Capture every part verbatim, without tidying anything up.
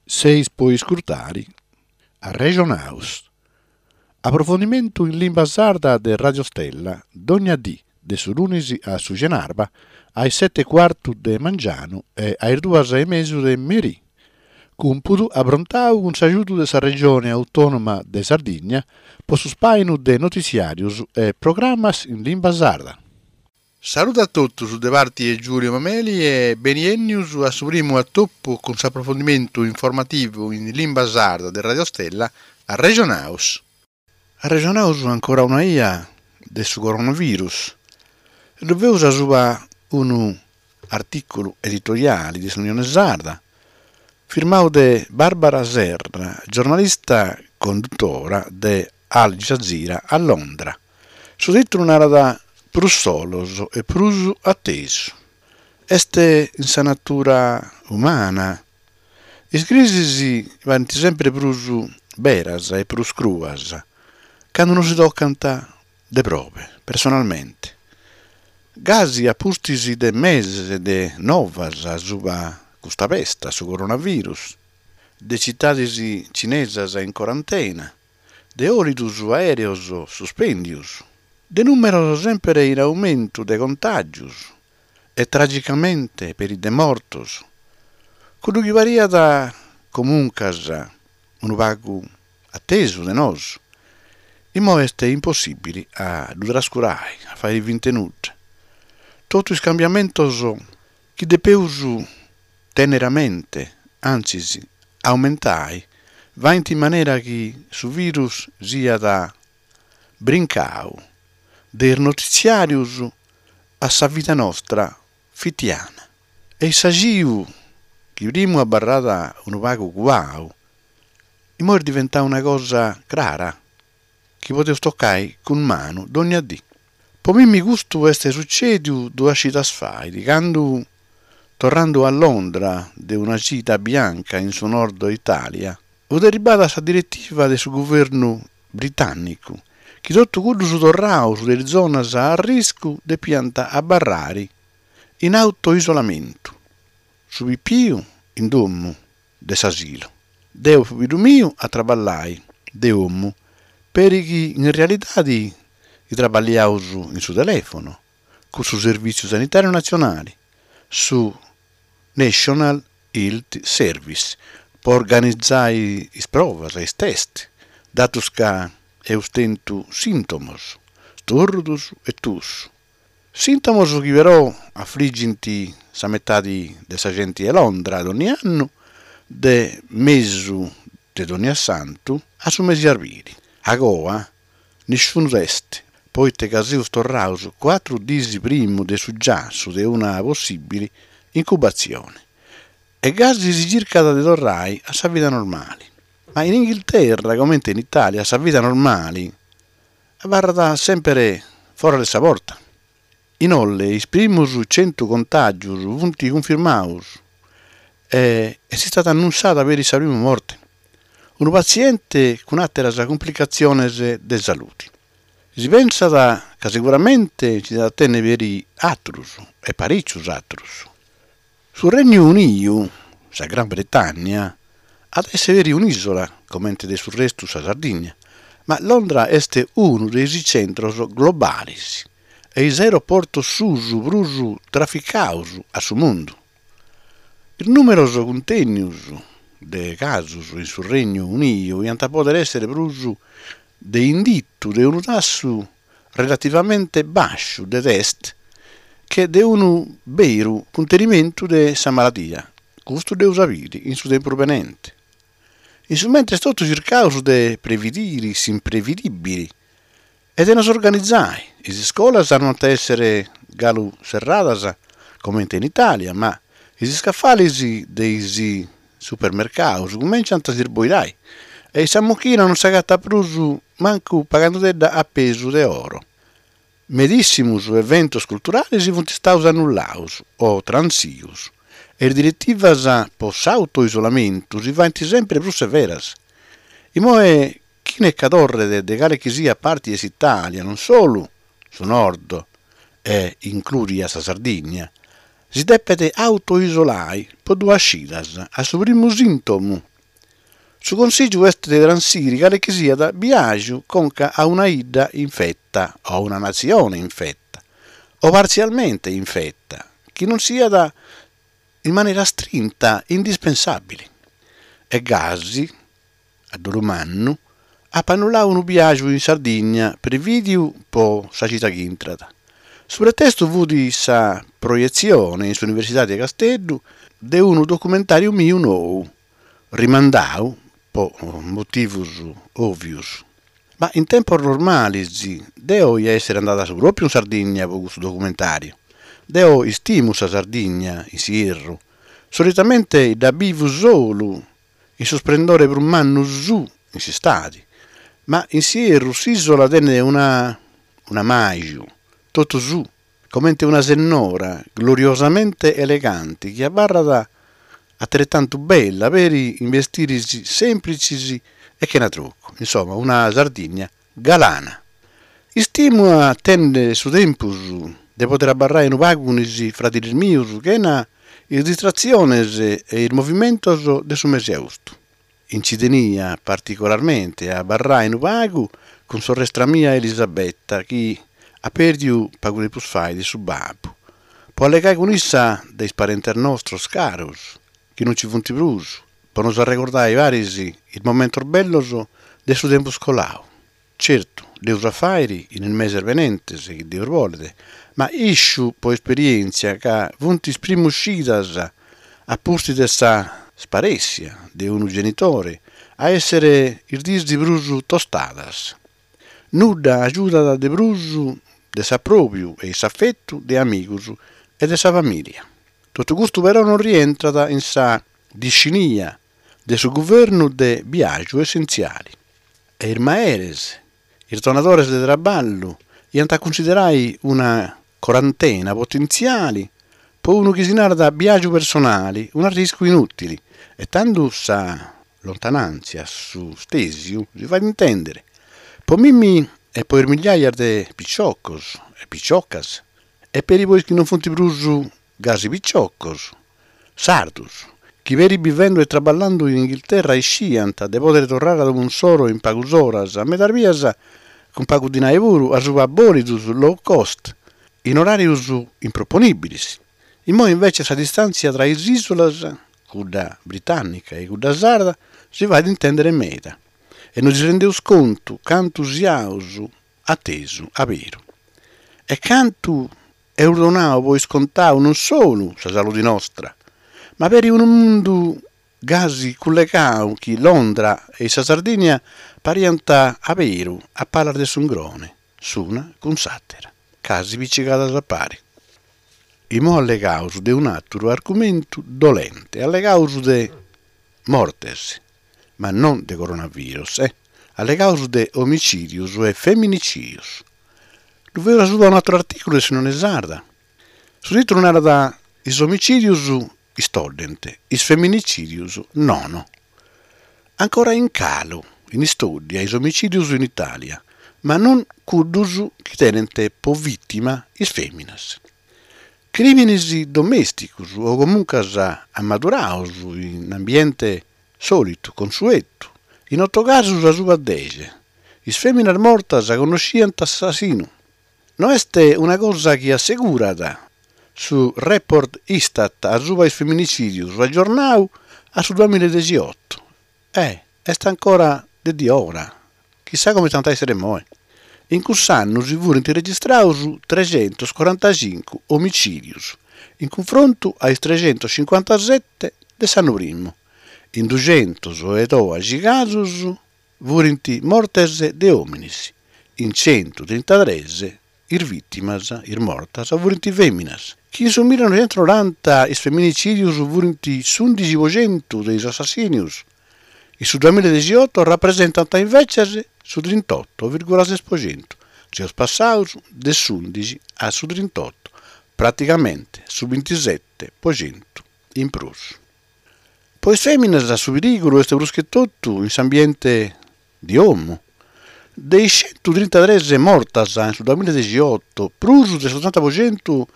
Seis po iscurtare Arrexonaus. Aprofondimentu in limba sarda de Radio Stella, dogna dì, de su lunis a su cenarba, a is sete e cuartu de mangianu e a is duas e mesu de merì. Cumpudu aprontadu cun s'agiudu de sa Regione Autònoma de Sardigna pro su ispàinu de notitziàrios e programmas in limba sarda. Salude a totus de parte de Giulio Mameli e beniènnius a su primu atopu cun s'aprofondimentu informativu in limba sarda de Radio Stella Arrexonaus. Arrexonaus ancora una 'ia de su coronavirus. Ddu feus asuba unu artìculu editoriali de s'Unione Sarda, firmadu de Barbara Serra, giornalista condutora de Al Jazeera a Londra. Su tìtulu narat Prus solos e prus a tesu. Est in sa natura umana. Is crisis parent semper prus beras e prus cruas cando nos tocant de probe, personalmente. Gasi a pustis de meses de novas subra custa pesta, su coronavirus, de tzitades tzinesas in corantena, de bolidos aèreos suspèndidos, de nùmeros semper in aumentu de contàgios e tragicamente peri de mortos, cuddu chi pariat comuncas unu pagu a tesu de nosu, immoe est impossìbile a ddu trascurare, a fàghere finta 'e nudda. Totu is cambiamentos chi depemus tènnere a mente, antzis aumentare, faghent in manera chi su virus siat brincadu de is notitziàrios a sa vida nostra fitiana. E s'agiu, chi primu abarrat unu pagu cuadu, immoe est diventadu una cosa crara, chi podeus tocare cun manu dogna die. Pro mimmi custu est sutzèdidu duas chidas faghet, cando, torrando a Londra de una gita bianca in su nord Itàlia, fiat arribada sa diretiva de su guvernu britànnicu chi totu cuddos torrados de is zonas a arriscu depiant abarrare in autoisolamentu. Su pipiu in domo de s'asilu. Deo e pobiddu meu a traballare de domo, peri chi in realidade traballamus in su telèfono, cun su Servìtziu Sanitàriu Natzionale, su National Health Service, pro organizare is provas, is test, datos ca amus tentu sìntomos, istorrudos e tussu. Sìntomos chi però afligint sa metade de sa gente de Londra dogna annu, de mesu de Donniassantu a su mese de arbile. Agoa, nisciunu test, pro ite ca semus torrados cuatru dies primu de su giassu de una possìbile incubatzione. E gasi si chircat de torrare a sa vida normale. Ma in Inghilterra, comente in Itàlia, sa vida normale abarrat semper fora de sa porta. Inoltre, is primos chentu contàgios sunt cunfirmados e est istada annuntziada peri sa prima morte. Unu patziente cun àteras cumplicatziones de salude. Si pensat ca seguramente nche diat tènnere peri àteros e parìcios àteros. Su Regnu Unidu, sa Gran Bretagna, at a èssere peri un'ìsula, comente de su restu sa Sardigna, ma Londra est unu de is tzentros globales e is aeroportos suos prus traficados a su mundu. Is nùmeros cuntènnidos de casos in su Regnu Unidu diant pòdere èssere prus de inditu de unu tassu relativamente bàsciu de test che de unu beru cuntenimentu de sa maladia. Custu dd'amus a bìdere in su tempus benente. In su mentres totus chircamus de previdire s'imprevidìbile e de nos organizare. Is iscolas no ant a èssere galu serradas comente in Itàlia, ma is iscafales de is supermercados cumenciant a s'isboidare e sa mochina non s'agatat prus mancu paghende·dda a pesu de oro. Medìssimos eventos culturales sunt istados annullados o transidos e is diretivas pro s'autoisolamentu si faghent semper prus severas. Immoe chie nche torret de cale chi siat parte de s'Itàlia, non solu su nord e inclùdida sa Sardigna, si depet autoisolare pro duas chidas a su primu sìntomu. Su consìgiu est de transire cale chi siat biàgiu conca a una bidda infeta o a una natzione infeta o partzialmente infeta, chi non siat in manera istrinta indispensàbile. E gasi, a dolu mannu, apo annulladu unu biàgiu in Sardigna prevìdidu pro sa chida chi intrat. Su pretestu fiat sa proietzione in s'Universidade de Casteddu de unu documentàriu meu nou, rimandadu pro motivos òvios. Ma in tempos normales deo dia èssere andada su pròpiu in Sardigna pro custu documentàriu. Deo istimo sa Sardigna in s'ierru. Solitamente dda bivo solu in su isplendore prus mannu suo in s'istade, ma in s'ierru s'ìsula tenet una un'ammaju totu suo, comente una sennora gloriosamente elegante chi abarrat ateretantu bella peri in bestires sèmplitzes e chena trucu. Insomma, una Sardigna galana. Istimo a tènnere su tempus de pòdere abarrare unu pagu cun is fradiles meos chena is distratziones e is movimentos de su mese de austu. Nche tenia particularmente a abarrare unu pagu cun sorrestra mea Elisabetta, chi at pèrdidu pagu tempus faghet su babbu, pro allegare cun issa de is parentes nostros caros, chi non nche sunt prus, pro nos regordare paris is momentos bellos de su tempus coladu. Certu, dd'amus a fàghere in is meses benentes, chi Deus bolet, ma isco pro esperièntzia ca sunt is primos chidas a pustis de sa isparèssida de unu genitore a èssere is dies prus tostadas. Nudda agiudat de prus de s'apròbiu e s'afetu de amigos e de sa famìlia. Totu custu però non rientrat in sa discinia de su guvernu de biàgiu essentziale. E is meres, is donadores de traballu, diant a cunsiderare una corantena potentziale pro unu chi si narat biàgiu personale un'arriscu inùtile, e tando sa lontanàntzia, su stèsiu, si faghet intèndere. Pro mimi e pro is mìgias de piciocos e piciocas, e peri pro is chi non sunt prus gasi piciocos, sardos, chi peri bivende e traballende in Inghilterra isciant de pòdere torrare a domo issoro in pagas oras, medas bias cun pagu dinare puru, a subra bòlidos low cost, in oràrios improponìbiles. Immoe invece sa distàntzia tra is ìsulas, cudda britànnica e cudda sarda, si faghet intèndere meda. E nos rendemus contu cantu siamus a tesu a beru. E cantu amus donadu pro iscontadu non solu sa salude nostra, ma peri unu mundu gasi cullegadu chi Londra e sa Sardigna pariant a beru a palas de s'ungrone, s'una cun s'àtera, casi pichigadas a pare. Immoe allegamus de un'àteru argumentu dolente, allegamus de mortes, ma non de coronavirus, eh? Allegamus de omitzìdios e feminicìdios. Ddu faeus subra un'àteru artìculu de s'Unione Sarda. Su tìtulu narat is omitzìdios istoddent, is feminicìdios nono. Ancora in calu, in istòddia, is omitzìdios in Itàlia, ma non cuddos chi tenent pro vìtima is fèminas. Crìmines domèsticos o comuncas ammadurados in ambiente sòlitu, consuetu, in oto casos a subra deghe. Is fèminas mortas connoschiant s'assassinu. No est una cosa chi assegurat su report Istat a subra is feminicìdios agiornadu a su duamilla e degheoto. Eh, est ancora de diora. Chissà comente ant a èssere immoe. In cuss'annu si furint registrados treghentos corantacinco omitzìdios, in cunfrontu a is treghentos cincuantasete de s'annu primu. In dughentos e dòighi casos furint mortes de òmines, in chentu trintatrès is vìtimas, is mortas, furint fèminas. Chi in su millenoighentos noranta is feminicìdios furint s'ùndighi pro chentu de is assassìnios, in su duamilla e degheoto rapresentant imbetzes su trintotto vìrgula ses pro chentu. Semus passados de s'ùndighi a su trintotto, praticamente su bintisete pro chentu in prus. Pro is fèminas su perìgulu est prus che totu in s'ambiente de domo. De is chentu trintatrès mortas in su duamilla e degheoto, prus de s'otanta pro chentu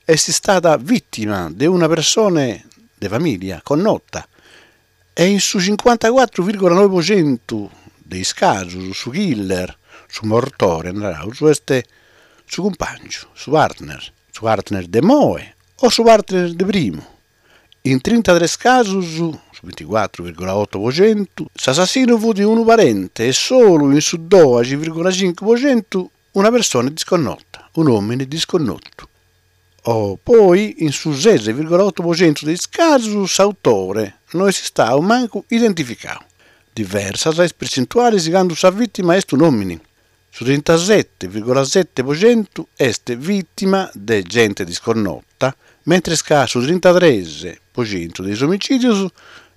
est istada vìtima de una persone de famìlia connota. E in su cincuantacuatru virgola noi po centu de is casus su killer, su mortore, naraus, est su cumpàngiu, su partner, su partner de imoi o su partner de primu. In trintatres casus, su binticuatru virgola oto po centu, s'assassinu fut unu parente e solu in su doxi virgola cincu po centu una persone disconnota, un'òmine disconnotu. O poi in su ses virgola oto po centu de is casos s'autore no est istadu mancu identificadu. Diversas is pertzentuales cando sa vìtima est un'òmine. Su trintasete virgola sete po centu est vìtima de gente disconnota, mentres ca su trintatres po centu de is omitzìdios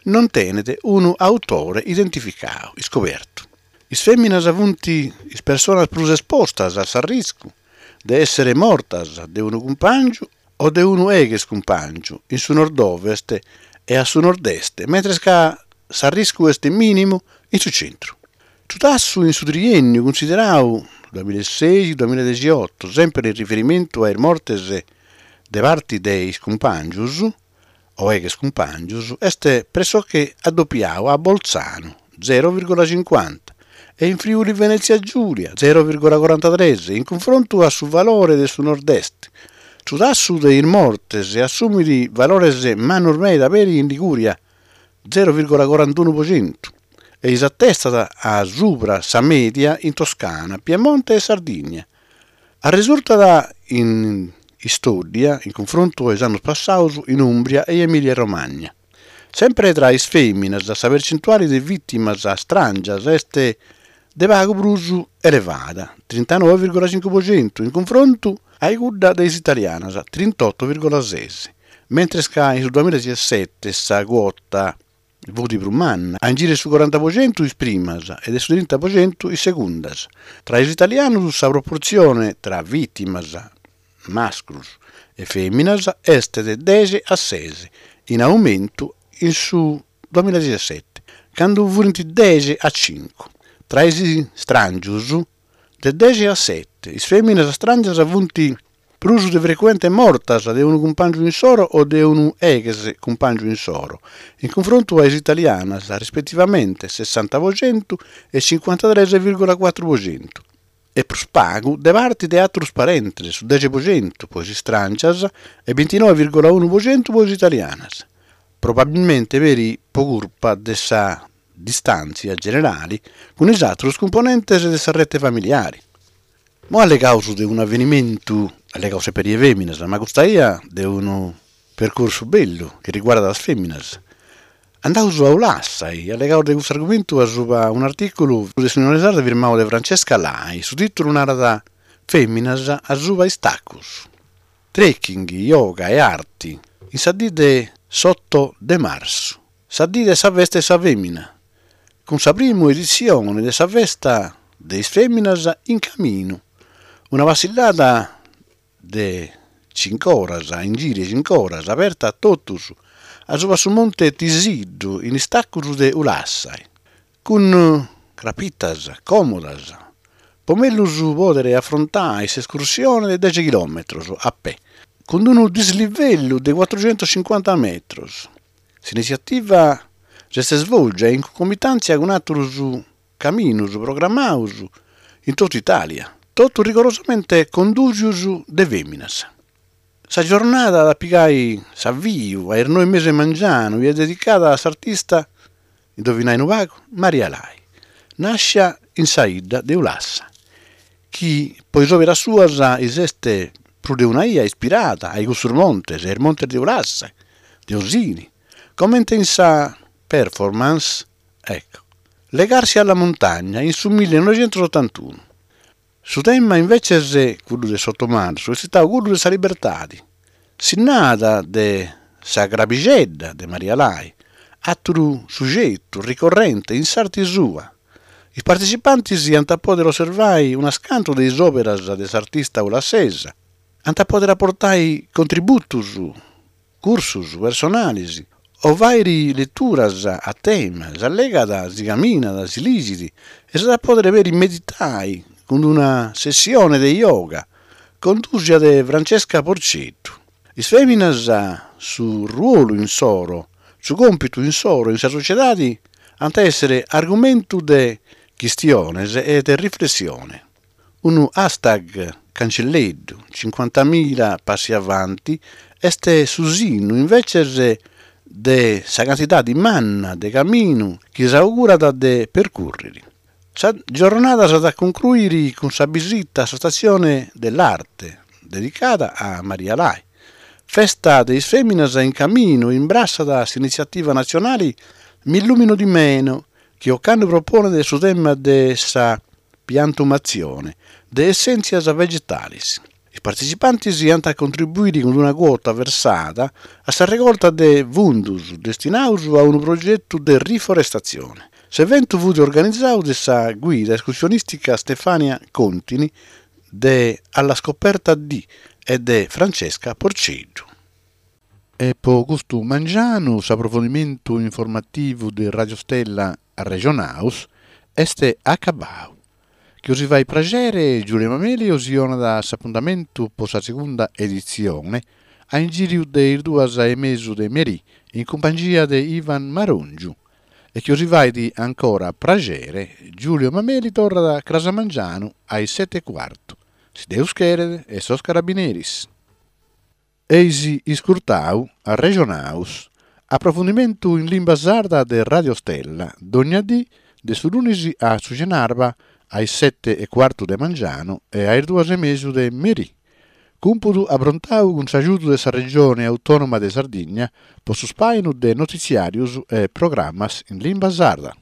non tenet unu autore identificadu, iscobertu. Is fèminas sunt is personas prus espostas a s'arriscu de èssere mortas de unu cumpàngiu o de unu ex cumpàngiu in su nord-ovest e a su nord-est, mentres ca s'arriscu est mìnimu in su tzentru. Su tassu in su triènniu cunsideradu duamillaesei duamilladeghioto, semper in riferimentu a is mortes de parte de is cumpàngios o ex cumpàngios, est pressoché addopiadu a Boltzanu, zero virgola cincuanta, e in Friuli Venètzia Giùlia, zero virgola corantatrès, in cunfrontu a su valore de su nord-est. Su tassu de is mortes assumit valores mannos meda peri in Ligùria, zero virgola corantunu pro centu, e s'atestat a subra sa mèdia in Toscana, Piemonte e Sardigna. Resurtat in istòddia, in cunfrontu a is annos passados, in Ùmbria e Emìlia Romagna. Semper tra is fèminas sa pertzentuale de vìtimas istràngias est de pagu prus elevada, trintanoe virgola cincu pro centu, in cunfrontu a cudda de is italianas, trintotto virgola ses, mentres ca in su duamilladeghessete sa cuota fut prus manna, a ingìriu su coranta pro centu is primas e de su trinta pro centu is segundas. Tra is italianos sa proportzione tra vìtimas mascros e fèminas est de deghe a ses, in aumentu in su duamilladeghessete, cando fuint deghe a cincu. Tra is istràngios, de deghe a sete, is fèminas istràngias funt prus de frecuente mortas de unu cumpàngiu insoro o de unu ex cumpàngiu insoro, in cunfrontu a is italianas, rispetivamente sessanta pro centu e cincuantatrès virgola cuatru pro centu. E prus pagu de parte de àteros parentes, su deghe pro centu pro is istràngias e bintinoe virgola unu pro centu pro is italianas. Probabilmente peri pro curpa de sa distàntzia generale cun is àteros cumponentes de sa rete familiare. Mo allegaus de un'avenimentu, allegaus semper de fèminas, ma custa 'ia de unu percursu bellu chi riguardat is fèminas. Andaus a Ulassai, allegaus de custu argumentu a suba un'artìculu de s'Unione Sarda firmadu de Francesca Lai, su tìtulu narat Fèminas a suba is tacos. Trekking, yoga e arti, in sa die de s'oto de martzu, sa die de sa festa de sa fèmina, cun sa prima editzione de sa festa de is fèminas in caminu, una passillada de cincu oras, in giru 'e cincu oras, aberta a totus, a suba su monte Tisiddu, in is tacos de Ulassai, cun crapitas còmodas, pro mègius pòdere afrontare s'escursione de deghe chilòmetros a pè, cun unu dislivellu de cuatrochentocincuanta metros. S'initziativa s'est svòlgia in cuncomitàntzia cun àteros caminos programmados in totu Itàlia, totu rigorosamente condùsidos de fèminas. Sa giornada at a pigare s'aviu a is noe e mesu 'e mangianu e est dedicada a s'artista, indovinai unu pagu, Maria Lai, nàschida in sa 'idda de Ulassa, chi pro is òperas suas s'est prus de una 'ia ispirada a cussos montes, a is montes de Ulassa, de Osini, comente in sa performance, ecco, Legarsi alla montagna in su millenoighentosotantuno. Su tema inveces, cuddu de s'oto martzu, est istadu cuddu de sa libertade, sinnada de sa crabixedda de Maria Lai, àteru sugetu ricorrente in s'arte sua. Is partetzipantes ant a pòdere osservare unas cantu de is òperas de s'artista ulassesa, ant a pòdere aportare contributos, cursos personales, o fàghere leturas a tema, s'allegat, si caminat, si ligit e s'at a pòdere peri meditare cun una sessione de yoga condùsia de Francesca Porceddu. Is fèminas, su ruolu insoro, su còmpitu issoro in sa sotziedade ant a èssere argumentu de chistiones e de riflessione. Unu hashtag cantzelleddu cincuantamila passi avanti est su sinnu imbetzes de sa cantidade manna de caminu chi s'àugurat de percùrrere. Sa giorronada s'at a concruire cun sa bìsita a sa Stazione dell'Arte, dedicada a Maria Lai. Festa de is fèminas in caminu imbrassat s'initziativa natzionale "M'illumino di meno", chi ocannu proponet su tema de sa piantumatzione de essèntzias vegetales. Is partetzipantes ant a contribuire cun una cuota versada a sa regorta de fundos destinados a unu progetu de riforestatzione. S'eventu fiat organizadu dae sa guida escursionìstica Stefania Contini de "Alla scoperta di" e de Francesca Porceddu. E pro custu mangianu s'aprofundimentu informativu de Radio Stella Arrejonaus est acabadu. Chi bos faghet praghere Giulio Mameli bos donat s'apuntamentu pro sa segunda editzione a in gìriu de is duas e mesu de merie in cumpangia de Ivan Marongiu. E chi bos faghet ancora praghere Giulio Mameli torrat cras mangianu a is sete e cuartu. Si Deus cheret e sos carabineris. Eis iscurtadu Arrejonaus, aprofundimentu in limba sarda de Radio Stella, dogna die de su lunis a su chenàbara a is sete e cuartu de mangianu e a is duas e mesu de merie. Cùmpudu aprontadu cun s'agiudu de sa Regione Autònoma de Sardigna pro su ispàinu de notitziàrios e programmas in limba sarda.